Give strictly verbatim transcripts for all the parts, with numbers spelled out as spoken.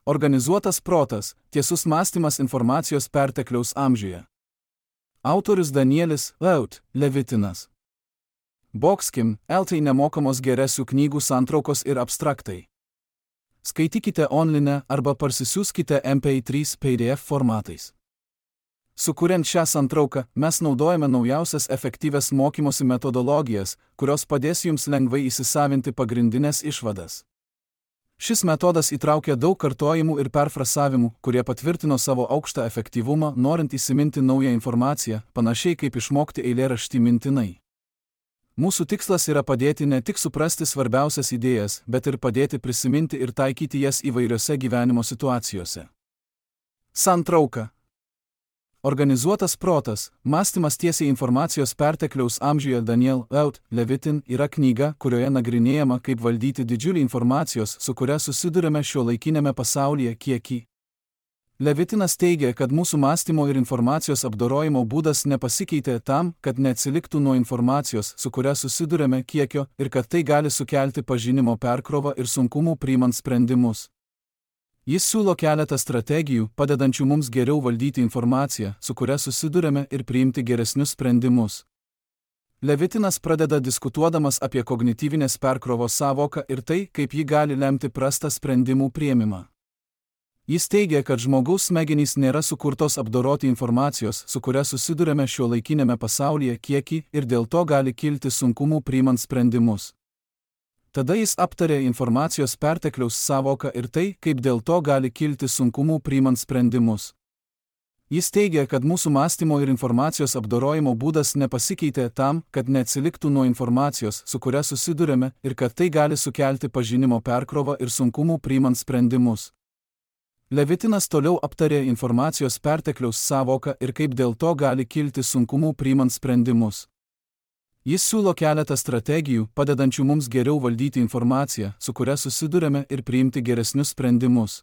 Organizuotas protas, tiesus mąstymas informacijos pertekliaus amžiuje. Autorius Danielis Laut, Levitinas. Boxkim, eltai nemokamos geresių knygų santraukos ir abstraktai. Skaitykite online arba parsisiųskite M P trys P D F formatais. Sukuriant šią santrauką, mes naudojame naujausias efektyvias mokymosi metodologijas, kurios padės jums lengvai įsisavinti pagrindinės išvadas. Šis metodas įtraukia daug kartojimų ir perfrasavimų, kurie patvirtino savo aukštą efektyvumą, norint įsiminti naują informaciją, panašiai kaip išmokti eilėraštį mintinai. Mūsų tikslas yra padėti ne tik suprasti svarbiausias idėjas, bet ir padėti prisiminti ir taikyti jas įvairiose gyvenimo situacijose. Santrauka. Organizuotas protas, mąstymas tiesiai informacijos pertekliaus amžiuje Daniel Laut, Levitin yra knyga, kurioje nagrinėjama, kaip valdyti didžiulį informacijos, su kuria susidurime šiuolaikiniame pasaulyje kiekį. Levitinas teigia, kad mūsų mąstymo ir informacijos apdorojimo būdas nepasikeitė tam, kad neatsiliktų nuo informacijos, su kuria susidurime kiekio, ir kad tai gali sukelti pažinimo perkrovą ir sunkumų priimant sprendimus. Jis siūlo keletą strategijų, padedančių mums geriau valdyti informaciją, su kuria susidurime ir priimti geresnius sprendimus. Levitinas pradeda diskutuodamas apie kognityvinės perkrovos sąvoką ir tai, kaip ji gali lemti prastą sprendimų priėmimą. Jis teigia, kad žmogaus smegenys nėra sukurtos apdoroti informacijos, su kuria susidurime šiuolaikinėme pasaulyje kiekį ir dėl to gali kilti sunkumų priimant sprendimus. Tada jis aptarė informacijos pertekliaus sąvoką ir tai, kaip dėl to gali kilti sunkumų priimant sprendimus. Jis teigia, kad mūsų mąstymo ir informacijos apdorojimo būdas nepasikeitė tam, kad neatsiliktų nuo informacijos, su kuria susidurime, ir kad tai gali sukelti pažinimo perkrovą ir sunkumų priimant sprendimus. Levitinas toliau aptarė informacijos pertekliaus sąvoką ir kaip dėl to gali kilti sunkumų priimant sprendimus. Jis siūlo keletą strategijų, padedančių mums geriau valdyti informaciją, su kuria susidurime ir priimti geresnius sprendimus.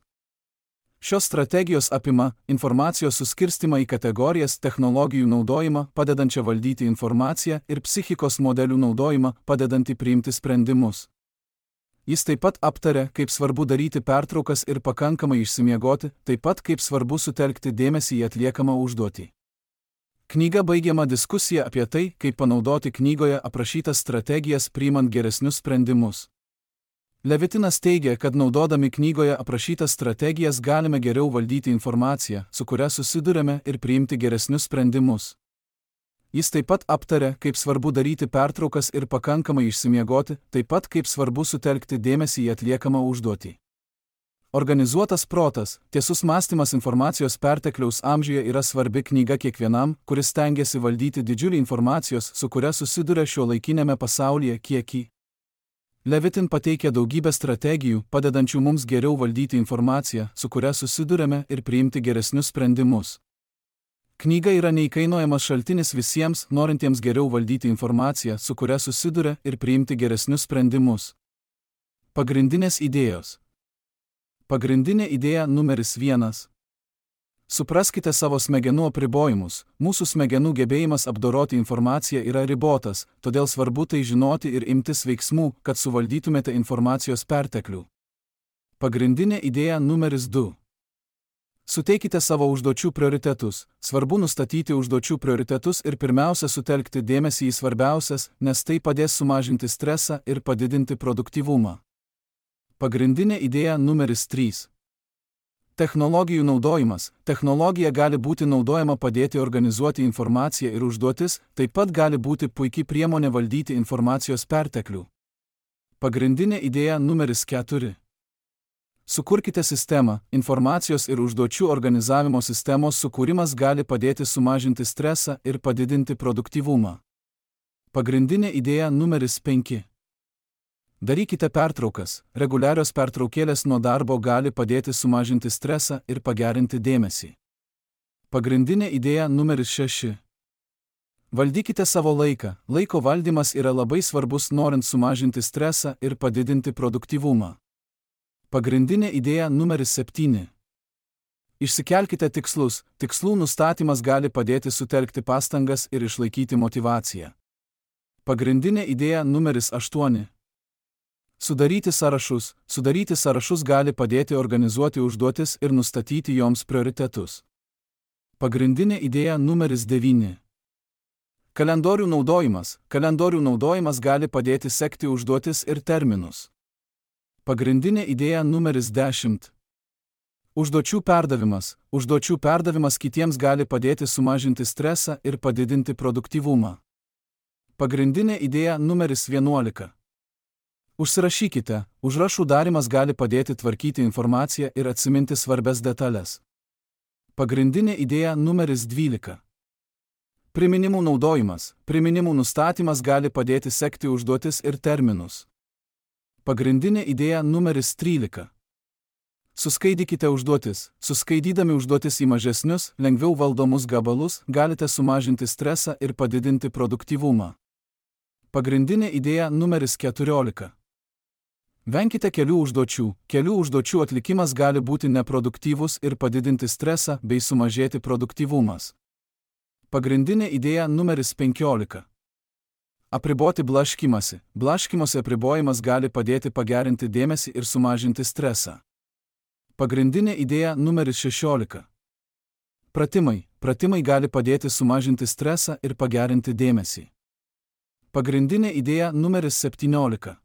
Šios strategijos apima informacijos suskirstimą į kategorijas, technologijų naudojimą, padedančią valdyti informaciją, ir psichikos modelių naudojimą, padedantį priimti sprendimus. Jis taip pat aptarė, kaip svarbu daryti pertraukas ir pakankamai išsimiegoti, taip pat kaip svarbu sutelkti dėmesį į atliekamą užduotį. Knyga baigiama diskusija apie tai, kaip panaudoti knygoje aprašytas strategijas priimant geresnius sprendimus. Levitinas teigia, kad naudodami knygoje aprašytas strategijas galime geriau valdyti informaciją, su kuria susidurime, ir priimti geresnius sprendimus. Jis taip pat aptarė, kaip svarbu daryti pertraukas ir pakankamai išsimiegoti, taip pat kaip svarbu sutelkti dėmesį į atliekamą užduotį. Organizuotas protas, tiesus mąstymas informacijos pertekliaus amžiuje yra svarbi knyga kiekvienam, kuris stengiasi valdyti didžiulį informacijos, su kuria susiduria šiuolaikinėme pasaulyje kiekį. Levitin pateikia daugybę strategijų, padedančių mums geriau valdyti informaciją, su kuria susidurime, ir priimti geresnius sprendimus. Knyga yra neįkainojamas šaltinis visiems, norintiems geriau valdyti informaciją, su kuria susiduria, ir priimti geresnius sprendimus. Pagrindinės idėjos. Pagrindinė idėja numeris vienas. Supraskite savo smegenų apribojimus. Mūsų smegenų gebėjimas apdoroti informaciją yra ribotas, todėl svarbu tai žinoti ir imtis veiksmų, kad suvaldytumėte informacijos perteklių. Pagrindinė idėja numeris du. Suteikite savo užduočių prioritetus. Svarbu nustatyti užduočių prioritetus ir pirmiausia sutelkti dėmesį į svarbiausias, nes tai padės sumažinti stresą ir padidinti produktyvumą. Pagrindinė idėja numeris trys. Technologijų naudojimas. Technologija gali būti naudojama padėti organizuoti informaciją ir užduotis, taip pat gali būti puikiai priemonė valdyti informacijos perteklių. Pagrindinė idėja numeris keturi. Sukurkite sistemą. Informacijos ir užduočių organizavimo sistemos sukūrimas gali padėti sumažinti stresą ir padidinti produktyvumą. Pagrindinė idėja numeris penki. Darykite pertraukas. Reguliarios pertraukėlės nuo darbo gali padėti sumažinti stresą ir pagerinti dėmesį. Pagrindinė idėja numeris šeši. Valdykite savo laiką. Laiko valdymas yra labai svarbus norint sumažinti stresą ir padidinti produktyvumą. Pagrindinė idėja numeris septyni. Išsikelkite tikslus. Tikslų nustatymas gali padėti sutelkti pastangas ir išlaikyti motyvaciją. Pagrindinė idėja numeris aštuoni. Sudaryti sąrašus. Sudaryti sąrašus gali padėti organizuoti užduotis ir nustatyti joms prioritetus. Pagrindinė idėja numeris devyni. Kalendorių naudojimas. Kalendorių naudojimas gali padėti sekti užduotis ir terminus. Pagrindinė idėja numeris dešimt. Užduočių perdavimas. Užduočių perdavimas kitiems gali padėti sumažinti stresą ir padidinti produktyvumą. Pagrindinė idėja numeris vienuolika. Užsirašykite. Užrašų darymas gali padėti tvarkyti informaciją ir atsiminti svarbias detalės. Pagrindinė idėja numeris dvylika. Priminimų naudojimas. Priminimų nustatymas gali padėti sekti užduotis ir terminus. Pagrindinė idėja numeris trylika. Suskaidykite užduotis. Suskaidydami užduotis į mažesnius, lengviau valdomus gabalus, galite sumažinti stresą ir padidinti produktyvumą. Pagrindinė idėja numeris keturiolika. Venkite kelių užduočių. Kelių užduočių atlikimas gali būti neproduktyvus ir padidinti stresą bei sumažėti produktyvumas. Pagrindinė idėja numeris penkiolika. Apriboti blaškymąsi. Blaškymosi apribojimas gali padėti pagerinti dėmesį ir sumažinti stresą. Pagrindinė idėja numeris šešiolika. Pratimai. Pratimai gali padėti sumažinti stresą ir pagerinti dėmesį. Pagrindinė idėja numeris septyniolika.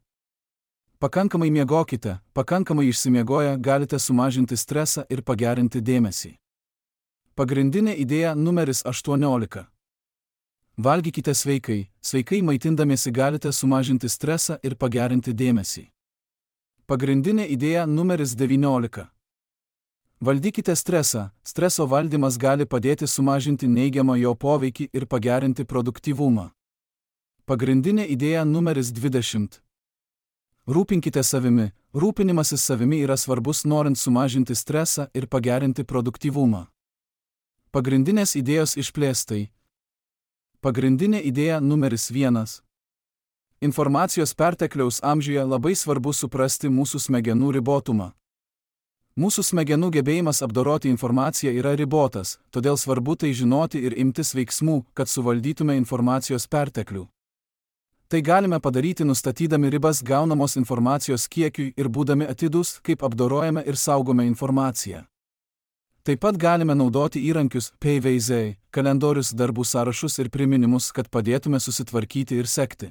Pakankamai miegokite. Pakankamai išsimiegoję galite sumažinti stresą ir pagerinti dėmesį. Pagrindinė idėja numeris aštuoniolika. Valgykite sveikai. Sveikai maitindamiesi galite sumažinti stresą ir pagerinti dėmesį. Pagrindinė idėja numeris devyniolika. Valdykite stresą. Streso valdymas gali padėti sumažinti neigiamą jo poveikį ir pagerinti produktyvumą. Pagrindinė idėja numeris dvidešimt. Rūpinkite savimi. Rūpinimasis savimi yra svarbus norint sumažinti stresą ir pagerinti produktyvumą. Pagrindinės idėjos išplėstai. Pagrindinė idėja numeris vienas. Informacijos pertekliaus amžiuje labai svarbu suprasti mūsų smegenų ribotumą. Mūsų smegenų gebėjimas apdoroti informaciją yra ribotas, todėl svarbu tai žinoti ir imtis veiksmų, kad suvaldytume informacijos perteklių. Tai galime padaryti nustatydami ribas gaunamos informacijos kiekiui ir būdami atidūs, kaip apdorojame ir saugome informaciją. Taip pat galime naudoti įrankius P V Z, kalendorius, darbų sąrašus ir priminimus, kad padėtume susitvarkyti ir sekti.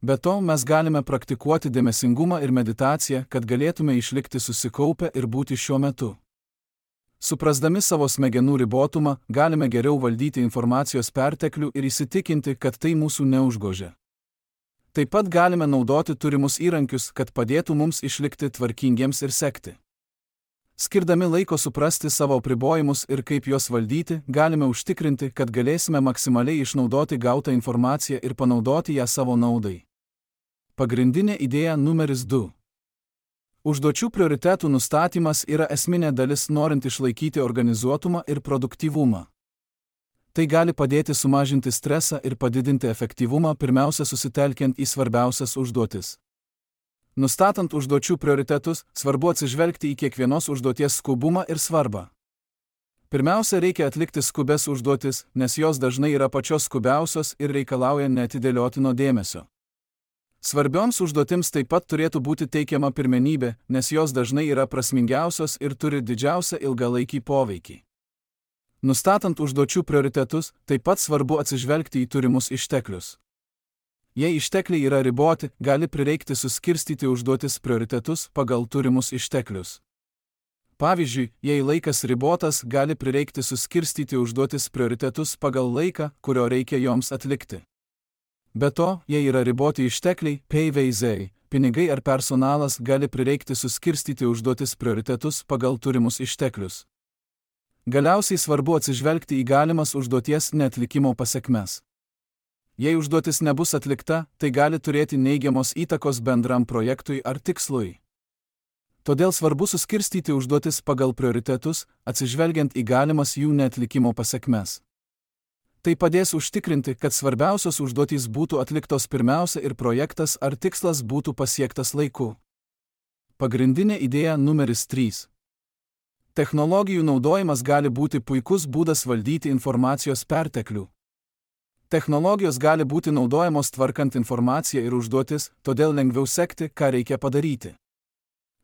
Be to, mes galime praktikuoti dėmesingumą ir meditaciją, kad galėtume išlikti susikaupę ir būti šiuo metu. Suprasdami savo smegenų ribotumą, galime geriau valdyti informacijos perteklių ir įsitikinti, kad tai mūsų neužgožia. Taip pat galime naudoti turimus įrankius, kad padėtų mums išlikti tvarkingiems ir sekti. Skirdami laiko suprasti savo apribojimus ir kaip juos valdyti, galime užtikrinti, kad galėsime maksimaliai išnaudoti gautą informaciją ir panaudoti ją savo naudai. Pagrindinė idėja numeris du. Užduočių prioritetų nustatymas yra esminė dalis norint išlaikyti organizuotumą ir produktyvumą. Tai gali padėti sumažinti stresą ir padidinti efektyvumą, pirmiausia susitelkiant į svarbiausias užduotis. Nustatant užduočių prioritetus, svarbu atsižvelgti į kiekvienos užduoties skubumą ir svarbą. Pirmiausia, reikia atlikti skubes užduotis, nes jos dažnai yra pačios skubiausios ir reikalauja neatidėliotino dėmesio. Svarbioms užduotims taip pat turėtų būti teikiama pirmenybė, nes jos dažnai yra prasmingiausios ir turi didžiausią ilgalaikį poveikį. Nustatant užduočių prioritetus, taip pat svarbu atsižvelgti į turimus išteklius. Jei ištekliai yra riboti, gali prireikti suskirstyti užduotis prioritetus pagal turimus išteklius. Pavyzdžiui, jei laikas ribotas, gali prireikti suskirstyti užduotis prioritetus pagal laiką, kurio reikia joms atlikti. Be to, jei yra riboti ištekliai, P V Z, pinigai ar personalas, gali prireikti suskirstyti užduotis prioritetus pagal turimus išteklius. Galiausiai svarbu atsižvelgti į galimas užduoties neatlikimo pasekmes. Jei užduotis nebus atlikta, tai gali turėti neigiamos įtakos bendram projektui ar tikslui. Todėl svarbu suskirstyti užduotis pagal prioritetus, atsižvelgiant į galimas jų neatlikimo pasekmes. Tai padės užtikrinti, kad svarbiausios užduotys būtų atliktos pirmiausia ir projektas ar tikslas būtų pasiektas laiku. Pagrindinė idėja numeris trys. Technologijų naudojimas gali būti puikus būdas valdyti informacijos perteklių. Technologijos gali būti naudojamos tvarkant informaciją ir užduotis, todėl lengviau sekti, ką reikia padaryti.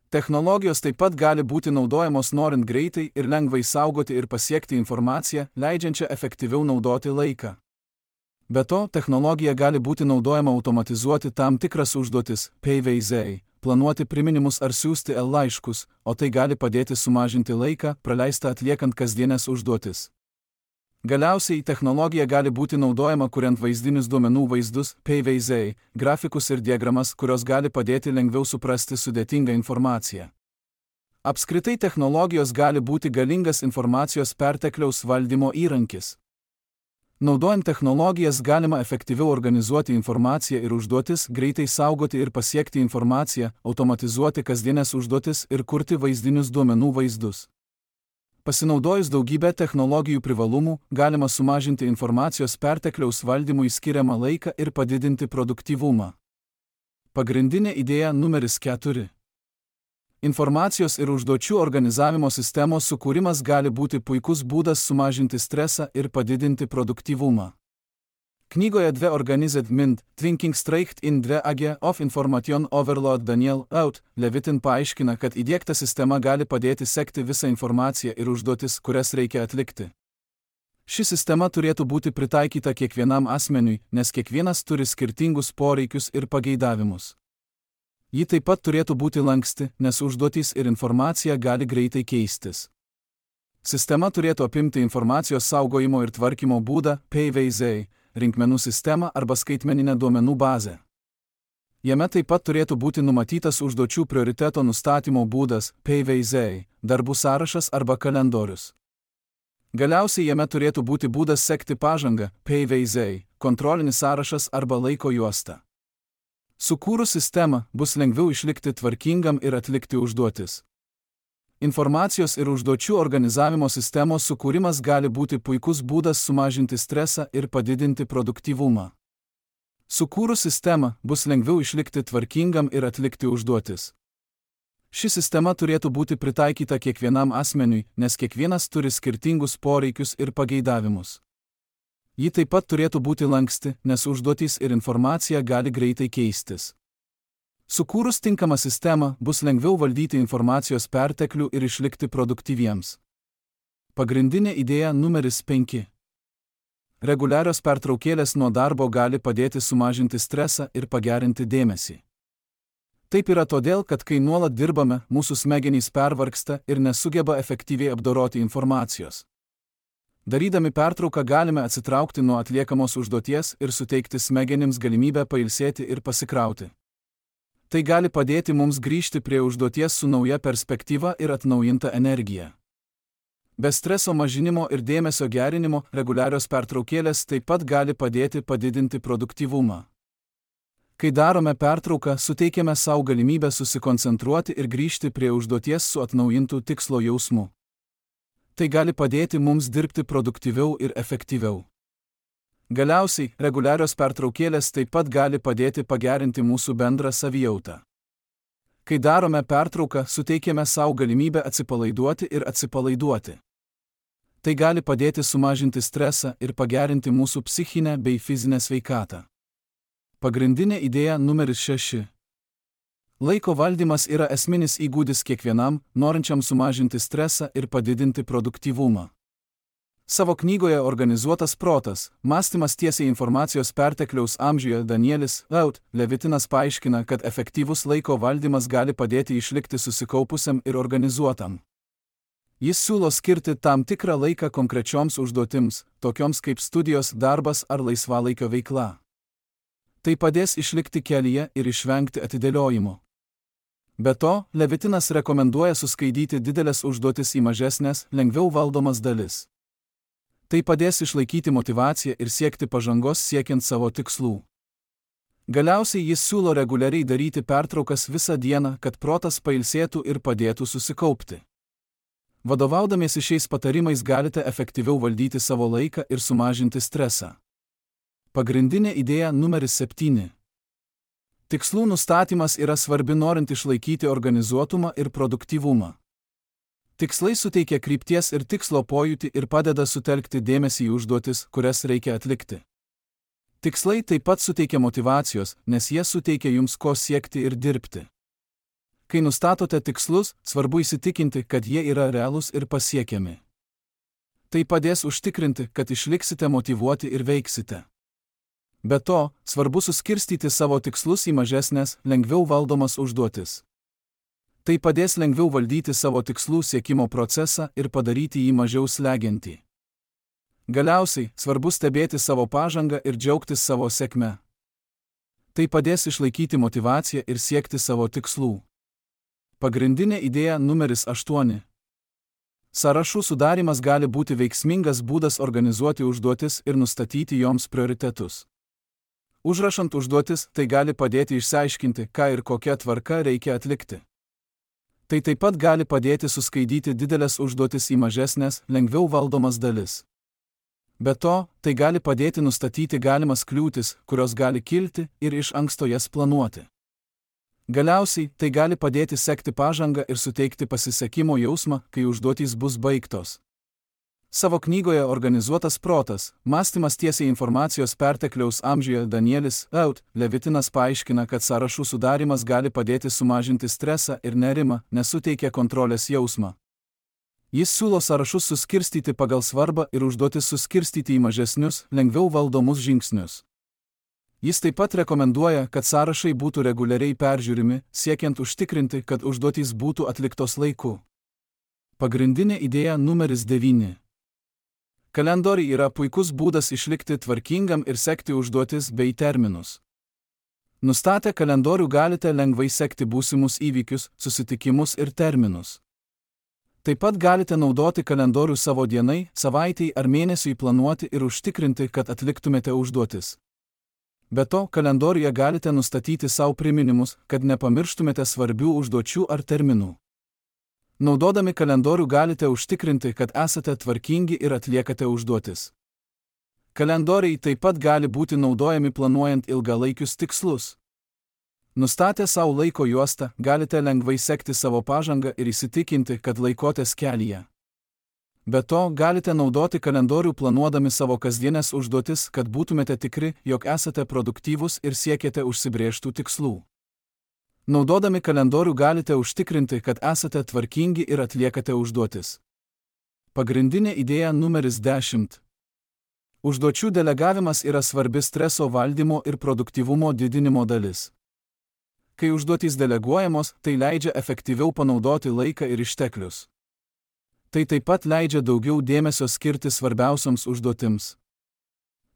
Technologijos taip pat gali būti naudojamos norint greitai ir lengvai saugoti ir pasiekti informaciją, leidžiančią efektyviau naudoti laiką. Be to, technologija gali būti naudojama automatizuoti tam tikras užduotis, P V Z, planuoti priminimus ar siųsti e-laiškus, o tai gali padėti sumažinti laiką, praleistą atliekant kasdienės užduotis. Galiausiai, technologija gali būti naudojama kuriant vaizdinius duomenų vaizdus, P V Z, grafikus ir diagramas, kurios gali padėti lengviau suprasti sudėtingą informaciją. Apskritai technologijos gali būti galingas informacijos pertekliaus valdymo įrankis. Naudojant technologijas galima efektyviau organizuoti informaciją ir užduotis, greitai saugoti ir pasiekti informaciją, automatizuoti kasdienės užduotis ir kurti vaizdinius duomenų vaizdus. Pasinaudojus daugybę technologijų privalumų, galima sumažinti informacijos pertekliaus valdymui skiriamą laiką ir padidinti produktyvumą. Pagrindinė idėja numeris keturi. Informacijos ir užduočių organizavimo sistemos sukūrimas gali būti puikus būdas sumažinti stresą ir padidinti produktyvumą. Knygoje Dve Organized Mind, Thinking Straight in Dve Age of Information Overload Daniel Out, Levitin paaiškina, kad įdiegta sistema gali padėti sekti visą informaciją ir užduotis, kurias reikia atlikti. Ši sistema turėtų būti pritaikyta kiekvienam asmeniui, nes kiekvienas turi skirtingus poreikius ir pageidavimus. Ji taip pat turėtų būti lanksti, nes užduotys ir informacija gali greitai keistis. Sistema turėtų apimti informacijos saugojimo ir tvarkymo būdą, P V Z, rinkmenų sistemą arba skaitmeninę duomenų bazę. Jame taip pat turėtų būti numatytas užduočių prioriteto nustatymo būdas, P V Z, darbų sąrašas arba kalendorius. Galiausiai jame turėtų būti būdas sekti pažangą, P V Z, kontrolinis sąrašas arba laiko juosta. Sukūrus sistemą, bus lengviau išlikti tvarkingam ir atlikti užduotis. Informacijos ir užduočių organizavimo sistemos sukūrimas gali būti puikus būdas sumažinti stresą ir padidinti produktyvumą. Sukūrus sistemą, bus lengviau išlikti tvarkingam ir atlikti užduotis. Ši sistema turėtų būti pritaikyta kiekvienam asmeniui, nes kiekvienas turi skirtingus poreikius ir pageidavimus. Ji taip pat turėtų būti lanksti, nes užduotys ir informacija gali greitai keistis. Sukūrus tinkamą sistemą, bus lengviau valdyti informacijos perteklių ir išlikti produktyviems. Pagrindinė idėja numeris penki. Reguliarios pertraukėlės nuo darbo gali padėti sumažinti stresą ir pagerinti dėmesį. Taip yra todėl, kad kai nuolat dirbame, mūsų smegenys pervargsta ir nesugeba efektyviai apdoroti informacijos. Darydami pertrauką galime atsitraukti nuo atliekamos užduoties ir suteikti smegenims galimybę pailsėti ir pasikrauti. Tai gali padėti mums grįžti prie užduoties su nauja perspektyva ir atnaujinta energija. Be streso mažinimo ir dėmesio gerinimo, reguliarios pertraukėlės taip pat gali padėti padidinti produktyvumą. Kai darome pertrauką, suteikiame savo galimybę susikoncentruoti ir grįžti prie užduoties su atnaujintų tikslo jausmu. Tai gali padėti mums dirbti produktyviau ir efektyviau. Galiausiai, reguliarios pertraukėlės taip pat gali padėti pagerinti mūsų bendrą savijautą. Kai darome pertrauką, suteikiame savo galimybę atsipalaiduoti ir atsipalaiduoti. Tai gali padėti sumažinti stresą ir pagerinti mūsų psichinę bei fizinę sveikatą. Pagrindinė idėja numeris šeši. Laiko valdymas yra esminis įgūdis kiekvienam, norinčiam sumažinti stresą ir padidinti produktyvumą. Savo knygoje Organizuotas protas, mąstymas tiesiai informacijos pertekliaus amžiuje Danielis Out, Levitinas paaiškina, kad efektyvus laiko valdymas gali padėti išlikti susikaupusiam ir organizuotam. Jis siūlo skirti tam tikrą laiką konkrečioms užduotims, tokioms kaip studijos, darbas ar laisvalaikio veikla. Tai padės išlikti kelyje ir išvengti atidėliojimo. Be to, Levitinas rekomenduoja suskaidyti didelės užduotis į mažesnės, lengviau valdomas dalis. Tai padės išlaikyti motyvaciją ir siekti pažangos siekiant savo tikslų. Galiausiai jis siūlo reguliariai daryti pertraukas visą dieną, kad protas pailsėtų ir padėtų susikaupti. Vadovaudamiesi šiais patarimais galite efektyviau valdyti savo laiką ir sumažinti stresą. Pagrindinė idėja numeris septyni. Tikslų nustatymas yra svarbi norint išlaikyti organizuotumą ir produktyvumą. Tikslai suteikia krypties ir tikslo pojūtį ir padeda sutelkti dėmesį į užduotis, kurias reikia atlikti. Tikslai taip pat suteikia motyvacijos, nes jie suteikia jums ko siekti ir dirbti. Kai nustatote tikslus, svarbu įsitikinti, kad jie yra realūs ir pasiekiami. Tai padės užtikrinti, kad išliksite motyvuoti ir veiksite. Be to, svarbu suskirstyti savo tikslus į mažesnės, lengviau valdomas užduotis. Tai padės lengviau valdyti savo tikslų siekimo procesą ir padaryti jį mažiau slegiantį. Galiausiai, svarbu stebėti savo pažangą ir džiaugtis savo sėkme. Tai padės išlaikyti motyvaciją ir siekti savo tikslų. Pagrindinė idėja numeris aštuoni. Sąrašų sudarimas gali būti veiksmingas būdas organizuoti užduotis ir nustatyti joms prioritetus. Užrašant užduotis, tai gali padėti išsiaiškinti, ką ir kokia tvarka reikia atlikti. Tai taip pat gali padėti suskaidyti didelės užduotis į mažesnės, lengviau valdomas dalis. Be to, tai gali padėti nustatyti galimas kliūtis, kurios gali kilti, ir iš anksto jas planuoti. Galiausiai, tai gali padėti sekti pažangą ir suteikti pasisekimo jausmą, kai užduotys bus baigtos. Savo knygoje Organizuotas protas, mąstymas tiesiai informacijos pertekliaus amžiuje Danielis Out Levitinas paaiškina, kad sąrašų sudarimas gali padėti sumažinti stresą ir nerimą, nes suteikia kontrolės jausmą. Jis siūlo sąrašus suskirstyti pagal svarbą ir užduotis suskirstyti į mažesnius, lengviau valdomus žingsnius. Jis taip pat rekomenduoja, kad sąrašai būtų reguliariai peržiūrimi, siekiant užtikrinti, kad užduotys būtų atliktos laiku. Pagrindinė idėja numeris devyni. Kalendoriai yra puikus būdas išlikti tvarkingam ir sekti užduotis bei terminus. Nustatę kalendorių galite lengvai sekti būsimus įvykius, susitikimus ir terminus. Taip pat galite naudoti kalendorių savo dienai, savaitei ar mėnesiui planuoti ir užtikrinti, kad atliktumėte užduotis. Be to, kalendoriuje galite nustatyti savo priminimus, kad nepamirštumėte svarbių užduočių ar terminų. Naudodami kalendorių galite užtikrinti, kad esate tvarkingi ir atliekate užduotis. Kalendoriai taip pat gali būti naudojami planuojant ilgalaikius tikslus. Nustatę savo laiko juostą, galite lengvai sekti savo pažangą ir įsitikinti, kad laikotės kelyje. Be to, galite naudoti kalendorių planuodami savo kasdienės užduotis, kad būtumėte tikri, jog esate produktyvūs ir siekiate užsibrėžtų tikslų. Naudodami kalendorių galite užtikrinti, kad esate tvarkingi ir atliekate užduotis. Pagrindinė idėja numeris dešimt. Užduočių delegavimas yra svarbi streso valdymo ir produktyvumo didinimo dalis. Kai užduotys deleguojamos, tai leidžia efektyviau panaudoti laiką ir išteklius. Tai taip pat leidžia daugiau dėmesio skirti svarbiausioms užduotims.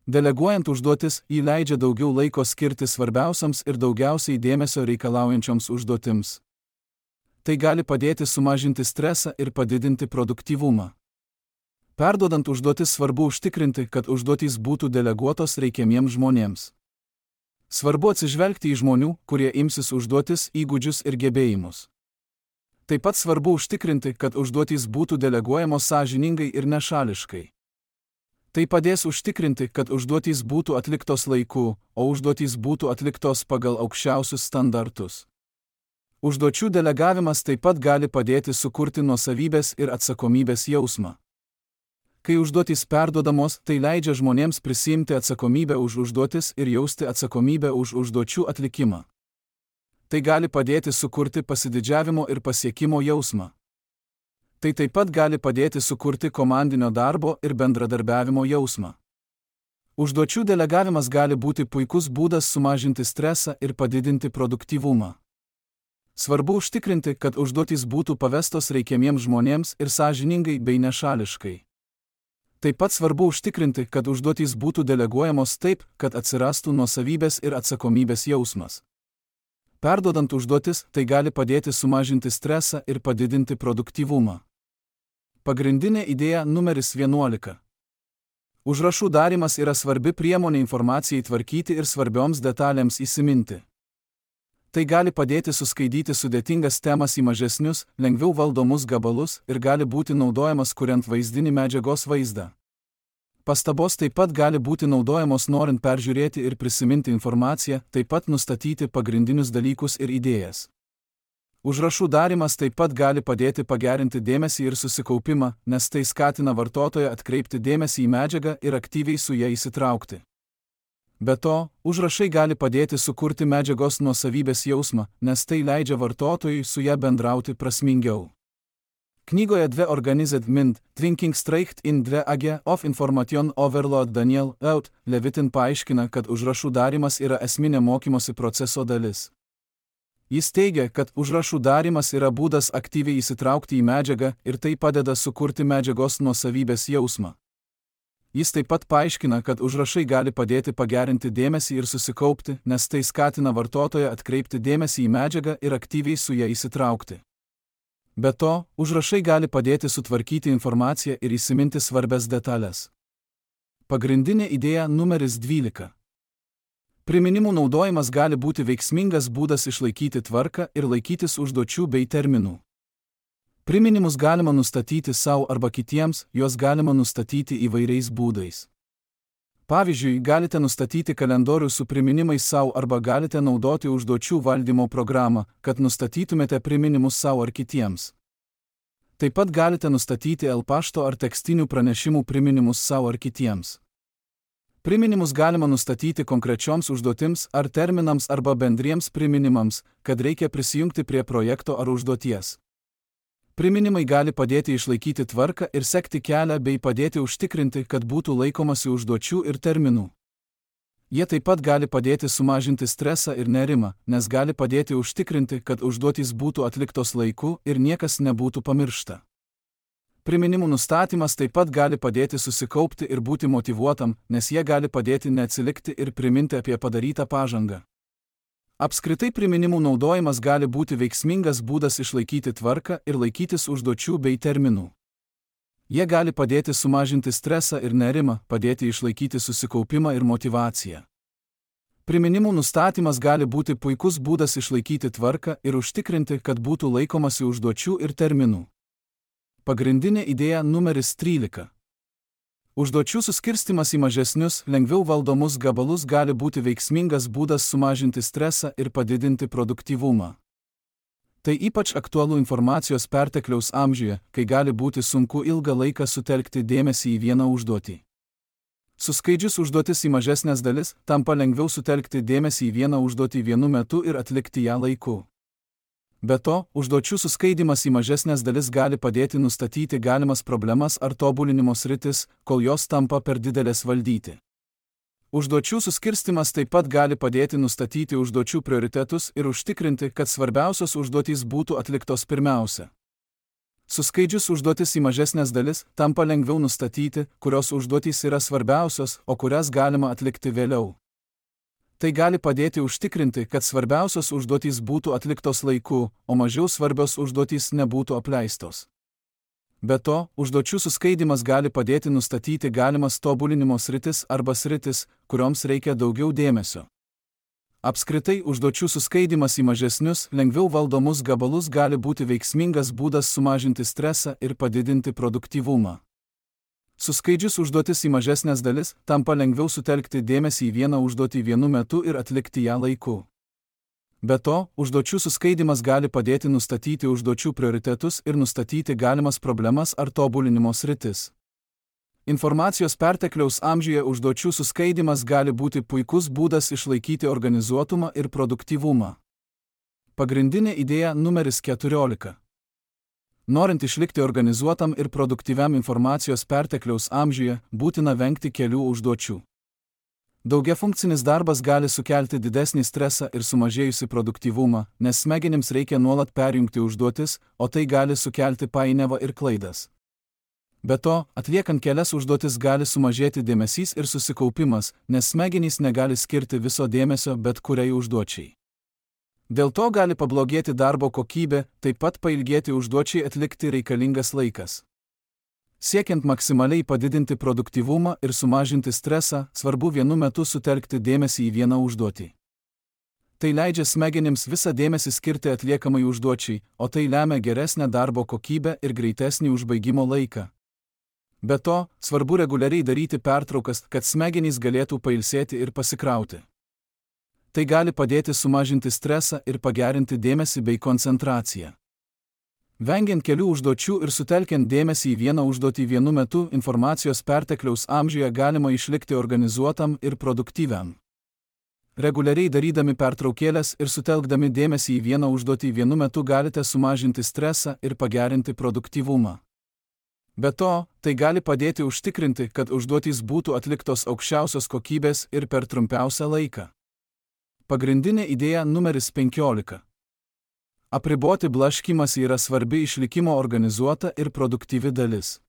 Deleguojant užduotis, jį leidžia daugiau laiko skirti svarbiausiams ir daugiausiai dėmesio reikalaujančioms užduotims. Tai gali padėti sumažinti stresą ir padidinti produktyvumą. Perduodant užduotis svarbu užtikrinti, kad užduotys būtų deleguotos reikiamiems žmonėms. Svarbu atsižvelgti į žmonių, kurie imsis užduotis, įgūdžius ir gebėjimus. Taip pat svarbu užtikrinti, kad užduotys būtų deleguojamos sąžiningai ir nešališkai. Tai padės užtikrinti, kad užduotys būtų atliktos laiku, o užduotys būtų atliktos pagal aukščiausius standartus. Užduočių delegavimas taip pat gali padėti sukurti nuosavybės ir atsakomybės jausmą. Kai užduotys perduodamos, tai leidžia žmonėms prisiimti atsakomybę už užduotis ir jausti atsakomybę už užduočių atlikimą. Tai gali padėti sukurti pasididžiavimo ir pasiekimo jausmą. Tai taip pat gali padėti sukurti komandinio darbo ir bendradarbiavimo jausmą. Užduočių delegavimas gali būti puikus būdas sumažinti stresą ir padidinti produktyvumą. Svarbu užtikrinti, kad užduotys būtų pavestos reikiamiems žmonėms ir sąžiningai bei nešališkai. Taip pat svarbu užtikrinti, kad užduotys būtų deleguojamos taip, kad atsirastų nuosavybės ir atsakomybės jausmas. Perduodant užduotis, tai gali padėti sumažinti stresą ir padidinti produktyvumą. Pagrindinė idėja numeris vienuolika. Užrašų darymas yra svarbi priemonė informacijai tvarkyti ir svarbioms detalėms įsiminti. Tai gali padėti suskaidyti sudėtingas temas į mažesnius, lengviau valdomus gabalus ir gali būti naudojamas kuriant vaizdinį medžiagos vaizdą. Pastabos taip pat gali būti naudojamos norint peržiūrėti ir prisiminti informaciją, taip pat nustatyti pagrindinius dalykus ir idėjas. Užrašų darymas taip pat gali padėti pagerinti dėmesį ir susikaupimą, nes tai skatina vartotoją atkreipti dėmesį į medžiagą ir aktyviai su ja įsitraukti. Be to, užrašai gali padėti sukurti medžiagos nuosavybės jausmą, nes tai leidžia vartotojui su ja bendrauti prasmingiau. Knygoje Dve Organized Mind, Thinking Straight in Dve Age of Information Overload Daniel Out Levitin paaiškina, kad užrašų darymas yra esminė mokymosi proceso dalis. Jis teigia, kad užrašų darymas yra būdas aktyviai įsitraukti į medžiagą ir tai padeda sukurti medžiagos nuosavybės jausmą. Jis taip pat paaiškina, kad užrašai gali padėti pagerinti dėmesį ir susikaupti, nes tai skatina vartotoją atkreipti dėmesį į medžiagą ir aktyviai su ja įsitraukti. Be to, užrašai gali padėti sutvarkyti informaciją ir įsiminti svarbias detalės. Pagrindinė idėja numeris dvylika. Priminimų naudojimas gali būti veiksmingas būdas išlaikyti tvarką ir laikytis užduočių bei terminų. Priminimus galima nustatyti savo arba kitiems, juos galima nustatyti įvairiais būdais. Pavyzdžiui, galite nustatyti kalendorių su priminimais savo arba galite naudoti užduočių valdymo programą, kad nustatytumėte priminimus savo ar kitiems. Taip pat galite nustatyti el-pašto ar tekstinių pranešimų priminimus savo ar kitiems. Priminimus galima nustatyti konkrečioms užduotims ar terminams arba bendriems priminimams, kad reikia prisijungti prie projekto ar užduoties. Priminimai gali padėti išlaikyti tvarką ir sekti kelią bei padėti užtikrinti, kad būtų laikomasi užduočių ir terminų. Jie taip pat gali padėti sumažinti stresą ir nerimą, nes gali padėti užtikrinti, kad užduotys būtų atliktos laiku ir niekas nebūtų pamiršta. Priminimų nustatymas taip pat gali padėti susikaupti ir būti motyvuotam, nes jie gali padėti neatsilikti ir priminti apie padarytą pažangą. Apskritai priminimų naudojimas gali būti veiksmingas būdas išlaikyti tvarką ir laikytis užduočių bei terminų. Jie gali padėti sumažinti stresą ir nerimą, padėti išlaikyti susikaupimą ir motyvaciją. Priminimų nustatymas gali būti puikus būdas išlaikyti tvarką ir užtikrinti, kad būtų laikomasi užduočių ir terminų. Pagrindinė idėja numeris trylika. Užduočių suskirstimas į mažesnius, lengviau valdomus gabalus gali būti veiksmingas būdas sumažinti stresą ir padidinti produktyvumą. Tai ypač aktualu informacijos pertekliaus amžiuje, kai gali būti sunku ilgą laiką sutelkti dėmesį į vieną užduotį. Suskaidžius užduotis į mažesnės dalis, tampa lengviau sutelkti dėmesį į vieną užduotį vienu metu ir atlikti ją laiku. Be to, užduočių suskaidimas į mažesnės dalis gali padėti nustatyti galimas problemas ar tobulinimo sritis, kol jos tampa per didelės valdyti. Užduočių suskirstimas taip pat gali padėti nustatyti užduočių prioritetus ir užtikrinti, kad svarbiausios užduotys būtų atliktos pirmiausia. Suskaidžius užduotis į mažesnės dalis, tampa lengviau nustatyti, kurios užduotys yra svarbiausios, o kurias galima atlikti vėliau. Tai gali padėti užtikrinti, kad svarbiausios užduotys būtų atliktos laiku, o mažiau svarbios užduotys nebūtų apleistos. Be to, užduočių suskaidimas gali padėti nustatyti galimas tobulinimo sritis arba sritis, kurioms reikia daugiau dėmesio. Apskritai, užduočių suskaidimas į mažesnius, lengviau valdomus gabalus gali būti veiksmingas būdas sumažinti stresą ir padidinti produktyvumą. Suskaidžius užduotis į mažesnės dalis, tampa lengviau sutelkti dėmesį į vieną užduotį vienu metu ir atlikti ją laiku. Be to, užduočių suskaidimas gali padėti nustatyti užduočių prioritetus ir nustatyti galimas problemas ar tobulinimo sritis. Informacijos pertekliaus amžiuje užduočių suskaidimas gali būti puikus būdas išlaikyti organizuotumą ir produktyvumą. Pagrindinė idėja numeris keturiolika. Norint išlikti organizuotam ir produktyviam informacijos pertekliaus amžiuje, būtina vengti kelių užduočių. Daugiafunkcinis darbas gali sukelti didesnį stresą ir sumažėjusi produktyvumą, nes smegenims reikia nuolat perjungti užduotis, o tai gali sukelti painiavą ir klaidas. Be to, atliekant kelias užduotis gali sumažėti dėmesys ir susikaupimas, nes smegenys negali skirti viso dėmesio bet kuriai užduočiai. Dėl to gali pablogėti darbo kokybė, taip pat pailgėti užduočiai atlikti reikalingas laikas. Siekiant maksimaliai padidinti produktyvumą ir sumažinti stresą, svarbu vienu metu sutelkti dėmesį į vieną užduotį. Tai leidžia smegenims visą dėmesį skirti atliekamai užduočiai, o tai lemia geresnę darbo kokybę ir greitesnį užbaigimo laiką. Be to, svarbu reguliariai daryti pertraukas, kad smegenys galėtų pailsėti ir pasikrauti. Tai gali padėti sumažinti stresą ir pagerinti dėmesį bei koncentraciją. Vengiant kelių užduočių ir sutelkiant dėmesį į vieną užduotį vienu metu, informacijos pertekliaus amžiuje galima išlikti organizuotam ir produktyviam. Reguliariai darydami pertraukėlės ir sutelkdami dėmesį į vieną užduotį vienu metu galite sumažinti stresą ir pagerinti produktyvumą. Be to, tai gali padėti užtikrinti, kad užduotys būtų atliktos aukščiausios kokybės ir per trumpiausią laiką. Pagrindinė idėja numeris penkiolika. Apriboti blaškymąsi yra svarbi išlikimo organizuota ir produktyvi dalis.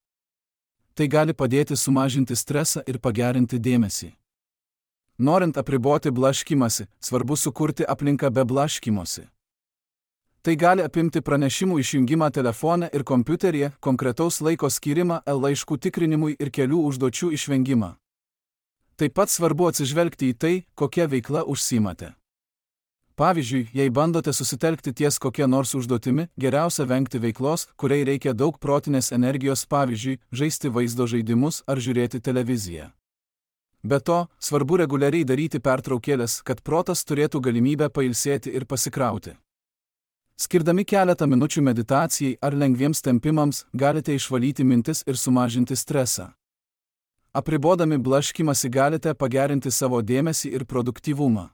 Tai gali padėti sumažinti stresą ir pagerinti dėmesį. Norint apriboti blaškymąsi, svarbu sukurti aplinką be blaškymosi. Tai gali apimti pranešimų išjungimą telefone ir kompiuteryje, konkretaus laiko skirimą laiškų tikrinimui ir kelių užduočių išvengimą. Taip pat svarbu atsižvelgti į tai, kokia veikla užsiimate. Pavyzdžiui, jei bandote susitelkti ties kokia nors užduotimi, geriausia vengti veiklos, kuriai reikia daug protinės energijos, pavyzdžiui, žaisti vaizdo žaidimus ar žiūrėti televiziją. Be to, svarbu reguliariai daryti pertraukėlės, kad protas turėtų galimybę pailsėti ir pasikrauti. Skirdami keletą minučių meditacijai ar lengviems tempimams, galite išvalyti mintis ir sumažinti stresą. Apribodami blaškymąsi galite pagerinti savo dėmesį ir produktyvumą.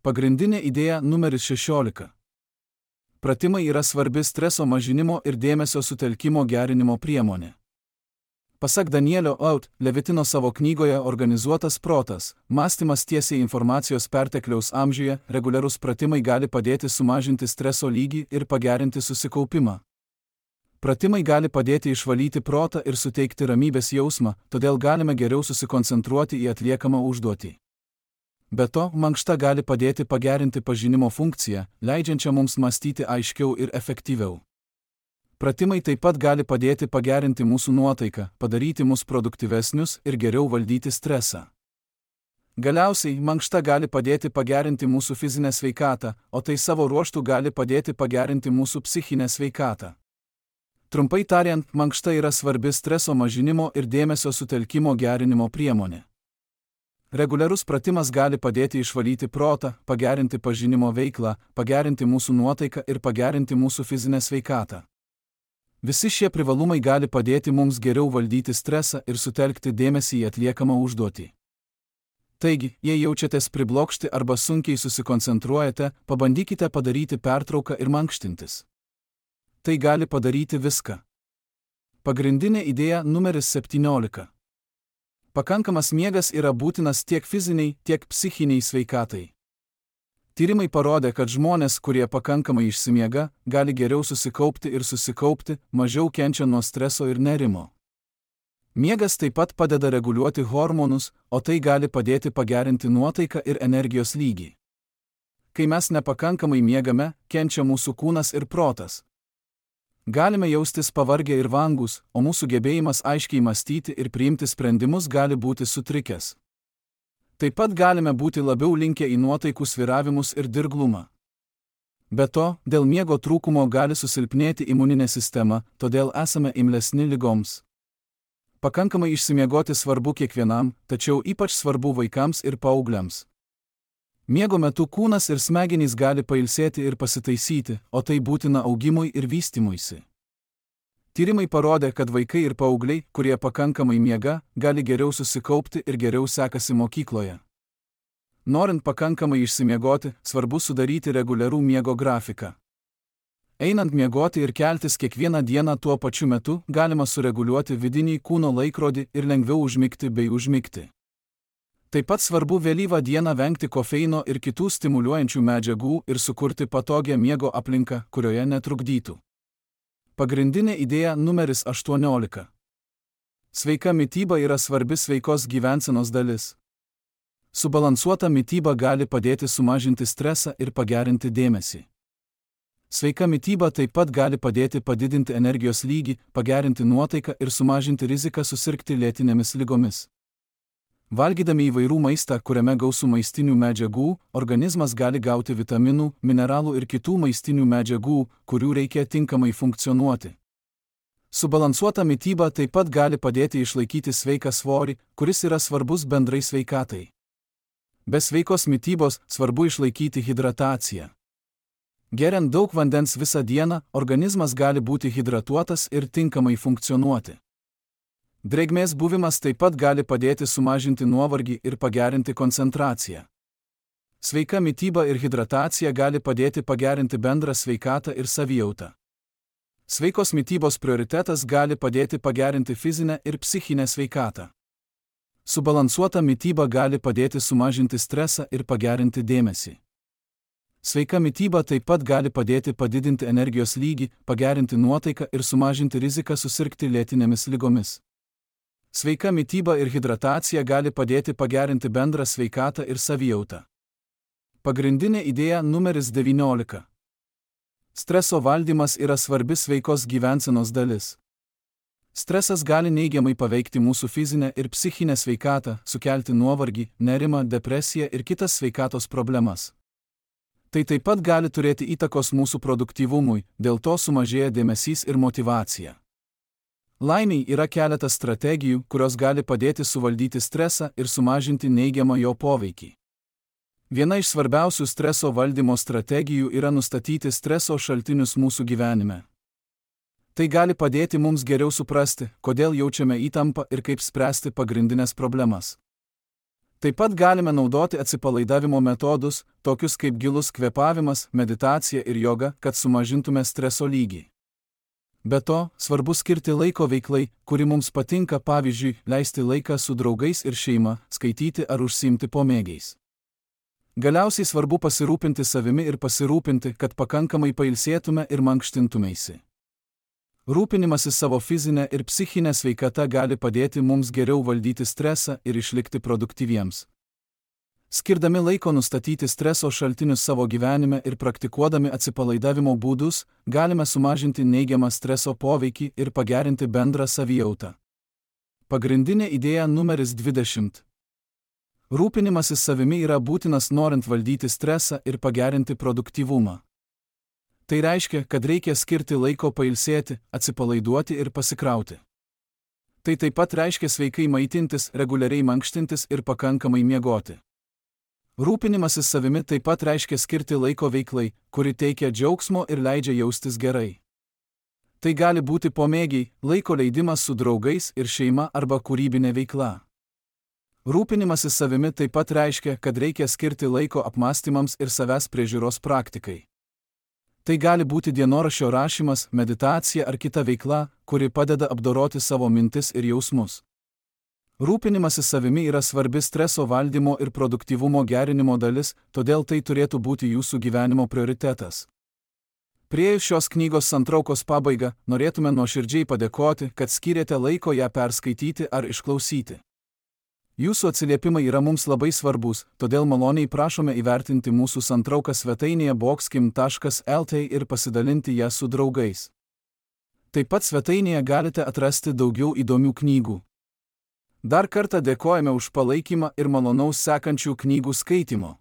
Pagrindinė idėja numeris šešiolika. Pratimai yra svarbi streso mažinimo ir dėmesio sutelkimo gerinimo priemonė. Pasak Danielio Out, Levitino savo knygoje Organizuotas protas, mąstymas tiesiai informacijos pertekliaus amžiuje, reguliarūs pratimai gali padėti sumažinti streso lygį ir pagerinti susikaupimą. Pratimai gali padėti išvalyti protą ir suteikti ramybės jausmą, todėl galime geriau susikoncentruoti į atliekamą užduotį. Be to, mankšta gali padėti pagerinti pažinimo funkciją, leidžiančią mums mąstyti aiškiau ir efektyviau. Pratimai taip pat gali padėti pagerinti mūsų nuotaiką, padaryti mus produktyvesnius ir geriau valdyti stresą. Galiausiai, mankšta gali padėti pagerinti mūsų fizinę sveikatą, o tai savo ruožtu gali padėti pagerinti mūsų psichinę sveikatą. Trumpai tariant, mankšta yra svarbi streso mažinimo ir dėmesio sutelkimo gerinimo priemonė. Reguliarus pratimas gali padėti išvalyti protą, pagerinti pažinimo veiklą, pagerinti mūsų nuotaiką ir pagerinti mūsų fizinę sveikatą. Visi šie privalumai gali padėti mums geriau valdyti stresą ir sutelkti dėmesį į atliekamą užduotį. Taigi, jei jaučiatės priblokšti arba sunkiai susikoncentruojate, pabandykite padaryti pertrauką ir mankštintis. Tai gali padaryti viską. Pagrindinė idėja numeris septyniolika. Pakankamas miegas yra būtinas tiek fiziniai, tiek psichiniai sveikatai. Tyrimai parodė, kad žmonės, kurie pakankamai išsimiega, gali geriau susikaupti ir susikaupti, mažiau kenčia nuo streso ir nerimo. Miegas taip pat padeda reguliuoti hormonus, o tai gali padėti pagerinti nuotaiką ir energijos lygį. Kai mes nepakankamai miegame, kenčia mūsų kūnas ir protas. Galime jaustis pavargę ir vangus, o mūsų gebėjimas aiškiai mąstyti ir priimti sprendimus gali būti sutrikęs. Taip pat galime būti labiau linkę į nuotaikų svyravimus ir dirglumą. Be to, dėl miego trūkumo gali susilpnėti imuninė sistema, todėl esame imlesni ligoms. Pakankamai išsimiegoti svarbu kiekvienam, tačiau ypač svarbu vaikams ir paaugliams. Miego metu kūnas ir smegenys gali pailsėti ir pasitaisyti, o tai būtina augimui ir vystymuisi. Tyrimai parodė, kad vaikai ir paaugliai, kurie pakankamai miega, gali geriau susikaupti ir geriau sekasi mokykloje. Norint pakankamai išsimiegoti, svarbu sudaryti reguliarų miego grafiką. Einant miegoti ir keltis kiekvieną dieną tuo pačiu metu, galima sureguliuoti vidinį kūno laikrodį ir lengviau užmigti bei užmigti. Taip pat svarbu vėlyvą dieną vengti kofeino ir kitų stimuliuojančių medžiagų ir sukurti patogią miego aplinką, kurioje netrukdytų. Pagrindinė idėja numeris aštuoniolika. Sveika mityba yra svarbi sveikos gyvensenos dalis. Subalansuota mityba gali padėti sumažinti stresą ir pagerinti dėmesį. Sveika mityba taip pat gali padėti padidinti energijos lygį, pagerinti nuotaiką ir sumažinti riziką susirgti lėtinėmis ligomis. Valgydami įvairių maistą, kuriame gausu maistinių medžiagų, organizmas gali gauti vitaminų, mineralų ir kitų maistinių medžiagų, kurių reikia tinkamai funkcionuoti. Subalansuota mityba taip pat gali padėti išlaikyti sveiką svorį, kuris yra svarbus bendrai sveikatai. Be sveikos mitybos svarbu išlaikyti hidrataciją. Geriant daug vandens visą dieną, organizmas gali būti hidratuotas ir tinkamai funkcionuoti. Drėgmės buvimas taip pat gali padėti sumažinti nuovargį ir pagerinti koncentraciją. Sveika mityba ir hidratacija gali padėti pagerinti bendrą sveikatą ir savijautą. Sveikos mitybos prioritetas gali padėti pagerinti fizinę ir psichinę sveikatą. Subalansuota mityba gali padėti sumažinti stresą ir pagerinti dėmesį. Sveika mityba taip pat gali padėti padidinti energijos lygį, pagerinti nuotaiką ir sumažinti riziką susirgti lėtinėmis ligomis. Sveika mityba ir hidratacija gali padėti pagerinti bendrą sveikatą ir savijautą. Pagrindinė idėja numeris devyniolika. Streso valdymas yra svarbi sveikos gyvensenos dalis. Stresas gali neigiamai paveikti mūsų fizinę ir psichinę sveikatą, sukelti nuovargį, nerimą, depresiją ir kitas sveikatos problemas. Tai taip pat gali turėti įtakos mūsų produktyvumui, dėl to sumažėja dėmesys ir motyvacija. Laimiai yra keletas strategijų, kurios gali padėti suvaldyti stresą ir sumažinti neigiamą jo poveikį. Viena iš svarbiausių streso valdymo strategijų yra nustatyti streso šaltinius mūsų gyvenime. Tai gali padėti mums geriau suprasti, kodėl jaučiame įtampą ir kaip spręsti pagrindinės problemas. Taip pat galime naudoti atsipalaidavimo metodus, tokius kaip gilus kvėpavimas, meditacija ir joga, kad sumažintume streso lygį. Be to, svarbu skirti laiko veiklai, kuri mums patinka, pavyzdžiui, leisti laiką su draugais ir šeima, skaityti ar užsiimti pomėgiais. Galiausiai svarbu pasirūpinti savimi ir pasirūpinti, kad pakankamai pailsėtume ir mankštintumeisi. Rūpinimasis savo fizinę ir psichinę sveikatą gali padėti mums geriau valdyti stresą ir išlikti produktyviems. Skirdami laiko nustatyti streso šaltinius savo gyvenime ir praktikuodami atsipalaidavimo būdus, galime sumažinti neigiamą streso poveikį ir pagerinti bendrą savijautą. Pagrindinė idėja numeris dvidešimt. Rūpinimasis savimi yra būtinas norint valdyti stresą ir pagerinti produktyvumą. Tai reiškia, kad reikia skirti laiko pailsėti, atsipalaiduoti ir pasikrauti. Tai taip pat reiškia sveikai maitintis, reguliariai mankštintis ir pakankamai miegoti. Rūpinimasis savimi taip pat reiškia skirti laiko veiklai, kuri teikia džiaugsmo ir leidžia jaustis gerai. Tai gali būti pomėgiai, laiko leidimas su draugais ir šeima arba kūrybinė veikla. Rūpinimasis savimi taip pat reiškia, kad reikia skirti laiko apmąstymams ir savęs priežiūros praktikai. Tai gali būti dienoraščio rašymas, meditacija ar kita veikla, kuri padeda apdoroti savo mintis ir jausmus. Rūpinimasis savimi yra svarbi streso valdymo ir produktyvumo gerinimo dalis, todėl tai turėtų būti jūsų gyvenimo prioritetas. Priėjus šios knygos santraukos pabaigą, norėtume nuoširdžiai padėkoti, kad skyrėte laiko ją perskaityti ar išklausyti. Jūsų atsiliepimai yra mums labai svarbus, todėl maloniai prašome įvertinti mūsų santrauką svetainėje boxkim taškas lt ir pasidalinti ją su draugais. Taip pat svetainėje galite atrasti daugiau įdomių knygų. Dar kartą dėkojame už palaikymą ir malonaus sekančių knygų skaitimo.